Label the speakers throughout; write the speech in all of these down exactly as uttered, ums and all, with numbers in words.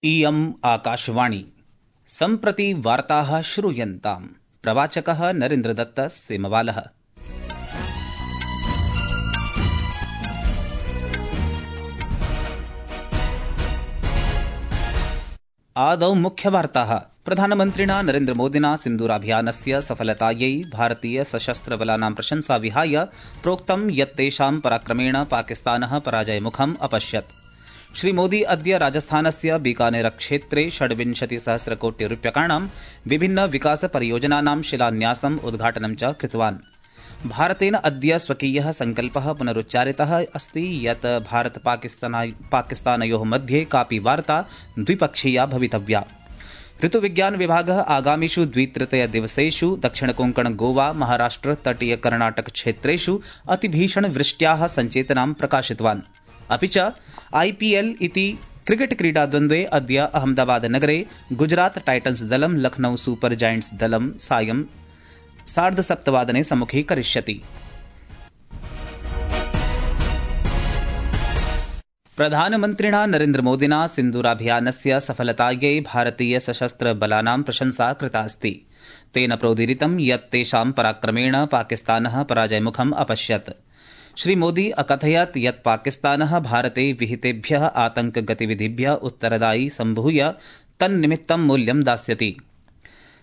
Speaker 1: इयम् आकाशवाणी सम्प्रति वार्ताः श्रूयन्ताम्। प्रवाचकः नरेन्द्रदत्त सेमवालः। आदौ मुख्यवार्ताः। प्रधानमन्त्रिणा नरेन्द्रमोदिना सिन्दूराभियानस्य सफलतायै भारतीय सशस्त्रबलानां प्रशंसा विहाय प्रोक्तं यत् तेषां पराक्रमेण पाकिस्तानः पराजयमुखम् अपश्यत्। श्रीमोदी अद्य राजस्थानस्य बीकानेर क्षेत्रे षड्विंशतिसहस्रकोटिरूप्यकाणां विभिन्न विकास परियोजनानां शिलान्यासम् उद्घाटनं च कृतवान्। भारतेन अद्य स्वकीयः सङ्कल्पः पुनरुच्चारितः अस्ति यत् भारत पाकिस्तानयोः मध्ये कापि वार्ता द्विपक्षीया भवितव्या। ऋतुविज्ञान विभागः आगामिषु द्वितृतीय दिवसेषु दक्षिणकोंकण गोवा महाराष्ट्र तटीय कर्णाटक क्षेत्रेषु अतिभीषण वृष्ट्याः सञ्चेतनां प्रकाशितवान्। अपि च आईपीएल इति क्रिकेट क्रीडाद्वन्द्वे अद्य अहमदाबाद नगरे गुजरात टाइटन्स दलं लखनऊ सुपर जायंट्स दलं सायं सार्धसप्तवादने सम्मुखीकरिष्यति। प्रधानमन्त्रिणा नरेन्द्रमोदिना सिन्दूराभियानस्य सफलतायै भारतीय सशस्त्र बलानां प्रशंसा कृता अस्ति। तेन प्रोदीरितं यत् तेषां पराक्रमेण पाकिस्तानः पराजयमुखम् अपश्यत्। श्रीमोदी अकथयत् यत् पाकिस्तानः भारते विहितेभ्यः आतंकगतिविधिभ्यः उत्तरदायी सम्भूय तन्निमित्तं मूल्यं दास्यति।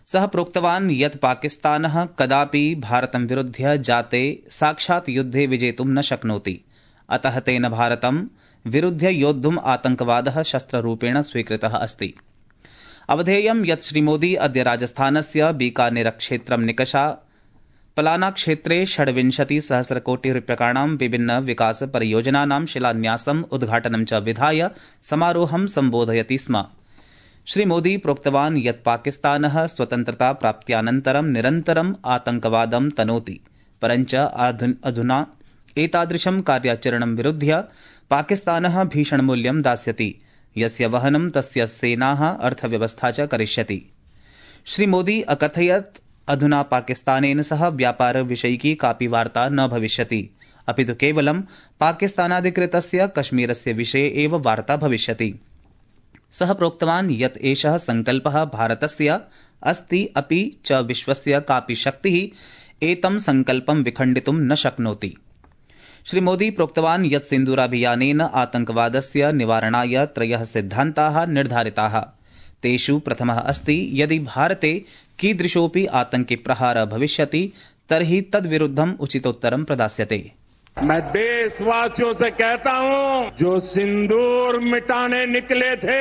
Speaker 1: सः प्रोक्तवान् यत् पाकिस्तानः कदापि भारतं विरुध्य जाते साक्षात् युद्धे विजेतुं न शक्नोति। अतः तेन भारतं विरुध्य योद्धुम् आतंकवादः शस्त्ररूपेण स्वीकृतः अस्ति। अवधेयं यत् श्रीमोदी अद्य राजस्थानस्य बीकानेर क्षेत्रं निकषा पलाना क्षेत्रे षड्विंशति सहस्रकोटि रूप्यकाणां विभिन्न विकास परियोजनानां शिलान्यासम् उद्घाटनं च विधाय समारोहं सम्बोधयति स्म। श्रीमोदी प्रोक्तवान् यत् पाकिस्तानः स्वतन्त्रता प्राप्त्यानन्तरं निरन्तरम् आतंकवादं तनोति, परञ्च अधुना एतादृशं कार्याचरणं विरुध्य पाकिस्तानः भीषणमूल्यं दास्यति, यस्य वहनं तस्य सेनाः अर्थव्यवस्था च करिष्यति। श्रीमोदी अकथयत् अधुना पाकिस्तानेन सह व्यापार विषयिकी कापि वार्ता न भविष्यति, अपि तु केवलं पाकिस्तानाधिकृतस्य कश्मीरस्य विषये एव वार्ता भविष्यति। सः प्रोक्तवान् यत् एषः सङ्कल्पः भारतस्य अस्ति, अपि च विश्वस्य कापि शक्तिः एतं सङ्कल्पं विखण्डितुं न शक्नोति। श्रीमोदी प्रोक्तवान् यत् सिन्दूराभियानेन आतंकवादस्य निवारणाय त्रयः सिद्धान्ताः निर्धारिताः। तेषु प्रथमः अस्ति यदि भारते कीदृशोऽपि आतंकी प्रहारः भविष्यति तर्हि तद्विरुद्धम् उचितोत्तरं प्रदास्यते।
Speaker 2: मैं देशवासियों से कहता हूं, जो सिंदूर मिटाने निकले थे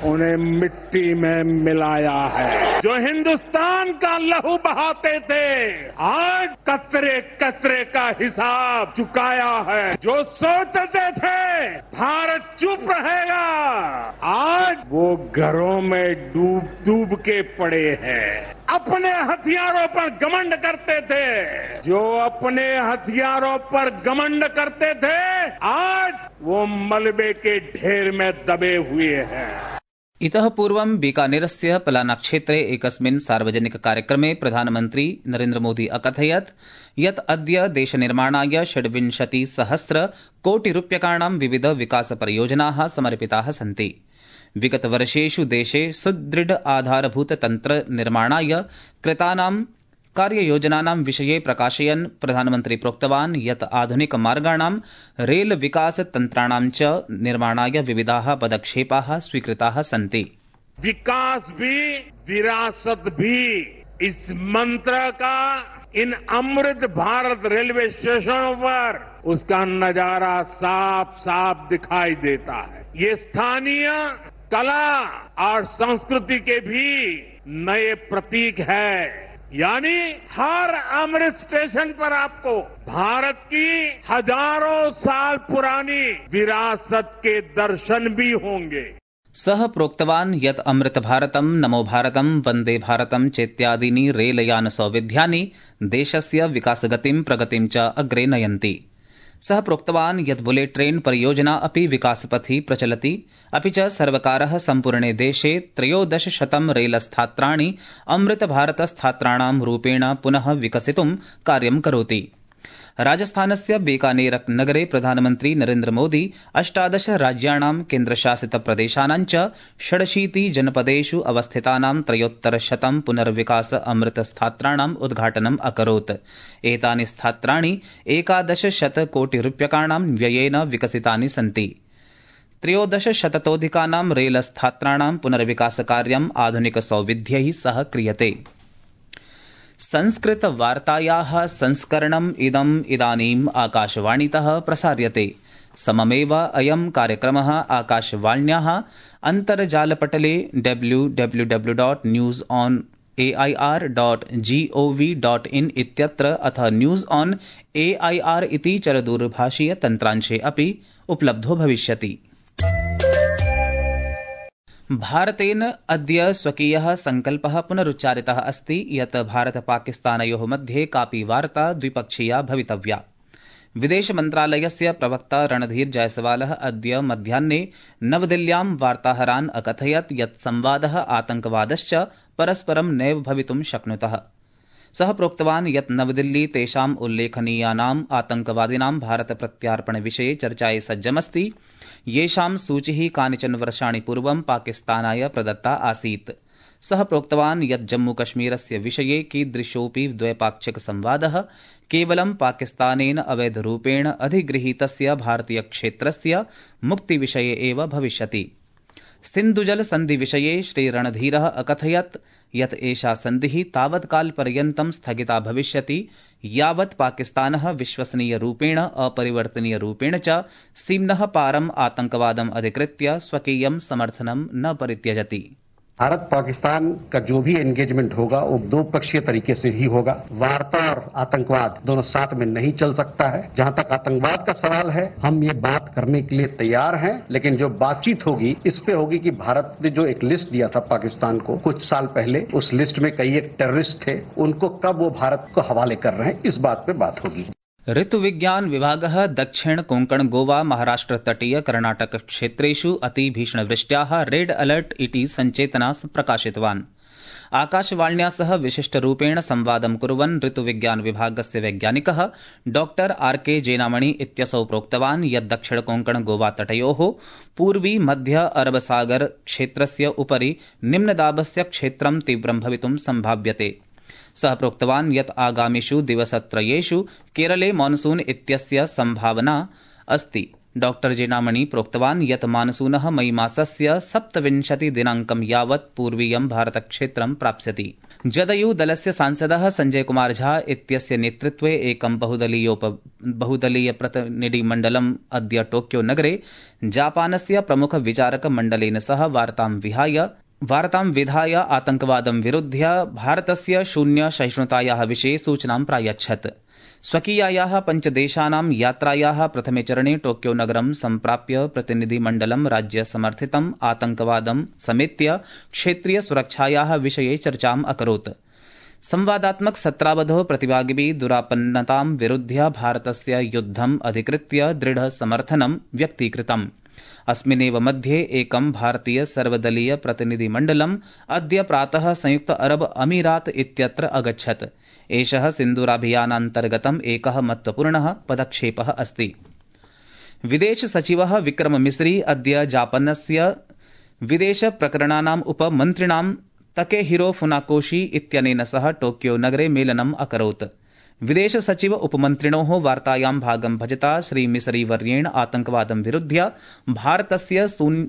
Speaker 2: उन्हें मिट्टी में मिलाया है। जो हिंदुस्तान का लहू बहाते थे आज कतरे कतरे का हिसाब चुकाया है। जो सोचते थे भारत चुप रहेगा आज वो घरों में डूब डूब के पड़े हैं। अपने हथियारों पर घमंड करते थे, जो अपने हथियारों पर घमंड करते थे आज वो मलबे के ढेर में दबे हुए हैं।
Speaker 1: इतः पूर्वं बीकानेरस्य पलाना क्षेत्रे एकस्मिन् सार्वजनिक कार्यक्रमे प्रधानमन्त्री नरेन्द्रमोदी अकथयत् यत् अद्य देशनिर्माणाय षड्विंशति सहस्र कोटि रूप्यकाणां विविध विकास परियोजनाः समर्पिताः सन्ति। विगतवर्षेषु देशे सुदृढ आधारभूत तन्त्र निर्माणाय कृतानां कार्ययोजनानां विषये प्रकाशयन् प्रधानमन्त्री प्रोक्तवान् यत् आधुनिक मार्गाणां रेल विकास तन्त्राणां च निर्माणाय विविधाः पदक्षेपाः स्वीकृताः सन्ति।
Speaker 2: विकास भी विरासत भी, इस मंत्र का इन अमृत भारत रेलवे स्टेशनों पर उसका नजारा साफ साफ दिखाई देता है। ये स्थानीय कला और संस्कृति के भी नए प्रतीक है। यानी हर अमृत स्टेशन पर आपको भारत की हजारों साल पुरानी विरासत के दर्शन भी होंगे।
Speaker 1: सः प्रोक्तवान् यत् अमृत भारतं, नमो भारतं, वन्दे भारतं चेत्यादीनि रेलयान सौविध्यानि देशस्य विकासगतिं प्रगतिं च अग्रे नयन्ति। सः प्रोक्तवान् यत् बुलेट ट्रेन परियोजना अपि विकासपथि प्रचलति, अपि च सर्वकारः सम्पूर्णे देशे त्रयोदश शतं रेलस्थात्राणि अमृत भारत स्थात्राणां रूपेण पुनः विकसितुं कार्यं करोति। राजस्थानस्य बीकानेर नगरे प्रधानमन्त्री नरेन्द्र मोदी अष्टादश राज्याणां केन्द्रशासित प्रदेशानां च षडशीति जनपदेषु अवस्थितानां त्रयोत्तरशतं पुनर्विकास अमृत स्थात्राणाम् उद्घाटनम् अकरोत्। एतानि स्थात्राणि एकादशशतकोटिरूप्यकाणां व्ययेन विकसितानि सन्ति। त्रयोदशशततोऽधिकानां रेल स्थात्राणां पुनर्विकासकार्यम् आधुनिक सौविध्यैः सह क्रियते। संस्कृत वार्तायाः संस्करणम् इदम् इदानीम् आकाशवाणीतः प्रसार्यते। सममेव अयं कार्यक्रमः आकाशवाण्याः अन्तर्जालपटले W W W dot news on A I R dot GOV dot in इत्यत्र अथ news on A I R इति चरदूरभाषीय तन्त्रांशे अपि उपलब्धो भविष्यति। भारतेन अद्य स्वकीयः संकल्पः पुनरुच्चारितः अस्ति यत् भारत-पाकिस्तानयोः मध्ये कापि वार्ता द्विपक्षीया भवितव्या। विदेशमन्त्रालयस्य प्रवक्ता रणधीर जयसवालः अद्य मध्याह्ने नवदिल्ल्यां वार्ताहरान् अकथयत् यत् संवादः आतंकवादश्च परस्परं नैव भवितुं शक्नुतः। सः प्रोक्तवान् यत् नवदिल्ली तेषाम् उल्लेखनीयानाम् आतंकवादिनां भारतप्रत्यार्पणविषये चर्चायै सज्जमस्ति, येषां सूचिः कानिचन वर्षाणि पूर्वं पाकिस्तानाय प्रदत्ता आसीत्। सः प्रोक्तवान् यत् जम्मूकश्मीरस्य विषये कीदृशोऽपि द्वैपाक्षिक संवादः केवलं पाकिस्तानेन अवैधरूपेण अधिगृहीतस्य भारतीयक्षेत्रस्य मुक्तिविषये एव भविष्यति। सिन्धुजल सन्धिविषये श्रीरणधीरः अकथयत् यत् एषा सन्धिः तावत्कालपर्यन्तं स्थगिता भविष्यति यावत् पाकिस्तानः विश्वसनीयरूपेण अपरिवर्तनीयरूपेण च सीम्नः पारम् आतंकवादम् अधिकृत्य स्वकीयं समर्थनं न परित्यजति।
Speaker 3: भारत पाकिस्तान का जो भी एंगेजमेंट होगा वो दो पक्षीय तरीके से ही होगा। वार्ता और आतंकवाद दोनों साथ में नहीं चल सकता है। जहां तक आतंकवाद का सवाल है, हम ये बात करने के लिए तैयार हैं, लेकिन जो बातचीत होगी इस पे होगी कि भारत ने जो एक लिस्ट दिया था पाकिस्तान को कुछ साल पहले, उस लिस्ट में कई एक टेररिस्ट थे, उनको कब वो भारत को हवाले कर रहे हैं, इस बात पे बात होगी।
Speaker 1: ऋतुविज्ञान विभागः दक्षिण कोंकण गोवा महाराष्ट्र तटीय कर्णाटक क्षेत्रेषु अतिभीषणवृष्ट्याः रेड अलर्ट इति सञ्चेतना प्रकाशितवान्। आकाशवाण्या सह विशिष्टरूपेण संवादं कुर्वन् ऋतुविज्ञान विभागस्य वैज्ञानिकः डॉक्टर आर के जेनामणि इत्यसौ प्रोक्तवान् यत् दक्षिण कोंकण गोवा तटयोः पूर्वी मध्य अरबसागर क्षेत्रस्य उपरि निम्नदाबस्य क्षेत्रं तीव्रं भवितुं सम्भाव्यते। सः प्रोक्तवान् यत् आगामिषु दिवसत्रयेषु केरले मानसून इत्यस्य सम्भावना अस्ति। डॉक्टर जेनामणि प्रोक्तवान् यत् मानसूनः मई मासस्य सप्तविंशति दिनाङ्कं यावत् पूर्वीयं भारतक्षेत्रं प्राप्स्यति। जदयू दलस्य सांसदः संजय कुमार झा इत्यस्य नेतृत्वे एकं बहुदलीयोप बहुदलीय प्रतिनिधिमण्डलम् अद्य टोक्यो नगरे जापानस्य प्रमुख विचारक मण्डलेन सह वार्तां विहाय वार्तां विधाय आतंकवादं विरुध्य भारतस्य शून्य सहिष्णुतायाः विषये सूचनां प्रायच्छत्। स्वकीयायाः पञ्चदेशानां यात्रायाः प्रथमे चरणे टोक्यो नगरं सम्प्राप्य प्रतिनिधिमण्डलं राज्यसमर्थितम् आतंकवादं समेत्य क्षेत्रीय सुरक्षायाः विषये चर्चाम् अकरोत्। संवादात्मक सत्रावधौ प्रतिभागिभिः दुरापन्नतां विरुध्य भारतस्य युद्धम् अधिकृत्य दृढ समर्थनं व्यक्तीकृतम्। अस्मिन्नेव मध्ये एकं भारतीय सर्वदलीय प्रतिनिधिमण्डलम् अद्य प्रातः संयुक्त अरब अमीरात इत्यत्र अगच्छत्। एषः सिन्दूराभियानान्तर्गतम् एकः महत्वपूर्णः पदक्षेपः अस्ति। विदेश सचिवः विक्रम मिस्री अद्य जापानस्य विदेश प्रकरणानाम् उपमन्त्रिणां तकेहिरो फुनाकोशी इत्यनेन सह टोक्यो नगरे मेलनम् अकरोत्। विदेश सचिव उपमन्त्रिणोः वार्तायां भागं भजता श्री मिसरी वर्येण आतंकवादं विरुध्य भारतस्य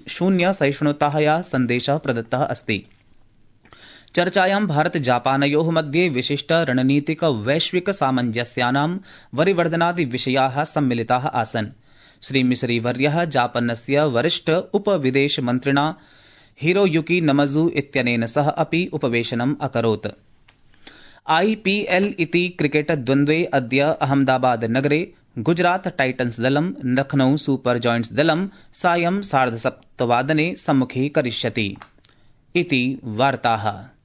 Speaker 1: शून्य सहिष्णुतायाः सन्देशः प्रदत्तः अस्ति। चर्चायां भारत जापानयोः मध्ये विशिष्ट रणनीतिक वैश्विक सामञ्जस्यानां वरिवर्धनादि विषयाः सम्मिलिताः आसन्। श्री मिसरी वर्यः जापानस्य वरिष्ठ उपविदेश मन्त्रिणा हिरोयुकी नमजू इत्यनेन सह अपि उपवेशनम् अकरोत्। आईपीएल इति क्रिकेट द्वन्द्वे अद्य अहमदाबाद नगरे गुजरात टाइटन्स दलं लखनऊ सुपर जॉयंट्स दलं सायं सार्धसप्तवादने सम्मुखीकरिष्यति इति वार्ताः।